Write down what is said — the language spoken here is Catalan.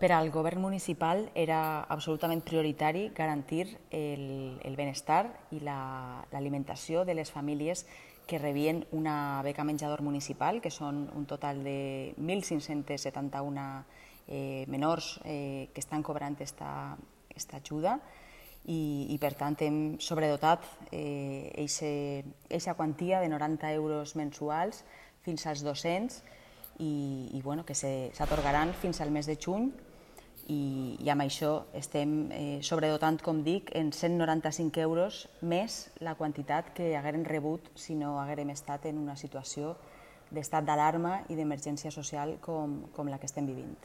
Per al govern municipal era absolutament prioritari garantir el benestar i l'alimentació de les famílies que rebien una beca menjador municipal, que són un total de 1.571 menors que estan cobrant aquesta ajuda i per tant hem sobredotat aquesta quantia de 90 euros mensuals fins als docents i que s'atorgaran fins al mes de juny i amb això estem sobredotant, com dic, en 195 euros més la quantitat que haguérem rebut si no haguérem estat en una situació d'estat d'alarma i d'emergència social com la que estem vivint.